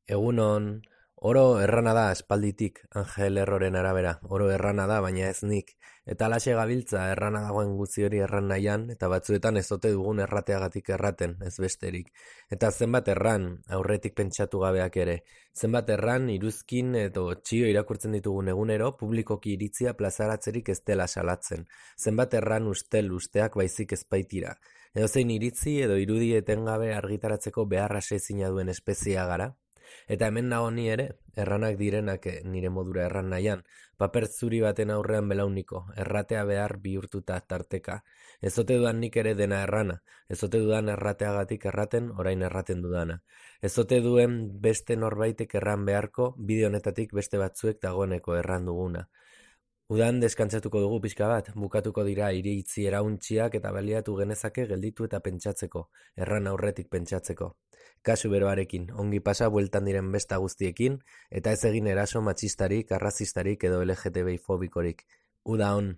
Egunon, oro errana da aspalditik, Angel Erroren arabera, oro errana da, baina ez nik. Eta alaxe gabiltza errana dagoen guzti hori erran nahian, eta batzuetan ez ote dugun errateagatik erraten, ez besterik. Eta zenbat erran, aurretik pentsatu gabeak ere. Zenbat erran, iruzkin edo txio irakurtzen ditugun egunero, publikoki iritzia plazaratzerik ez dela salatzen. Zenbat erran ustel usteak baizik ezpaitira. Edozein iritzi edo irudi etengabe argitaratzeko beharra sezina duen espeziea gara. Eta hemen nago ni ere, erranak direnak nire modura erran nahian, paper zuri baten aurrean belauniko, erratea behar bihurtuta tarteka. Ez ote dudan nik ere dena errana, ez ote dudan errateagatik erraten, orain erraten dudana. Ez ote duen beste norbaitek erran beharko, bide honetatik beste batzuek dagoeneko erran duguna. Udan deskantzatuko dugu pixka bat, bukatuko dira iritzi erauntziak eta baliatu genezake gelditu eta pentsatzeko, erran aurretik pentsatzeko. Kasu beroarekin, ongi pasa bueltan diren besta guztiekin, eta ez egin eraso matxistarik, arrazistarik edo LGTBI fobikorik. Uda on!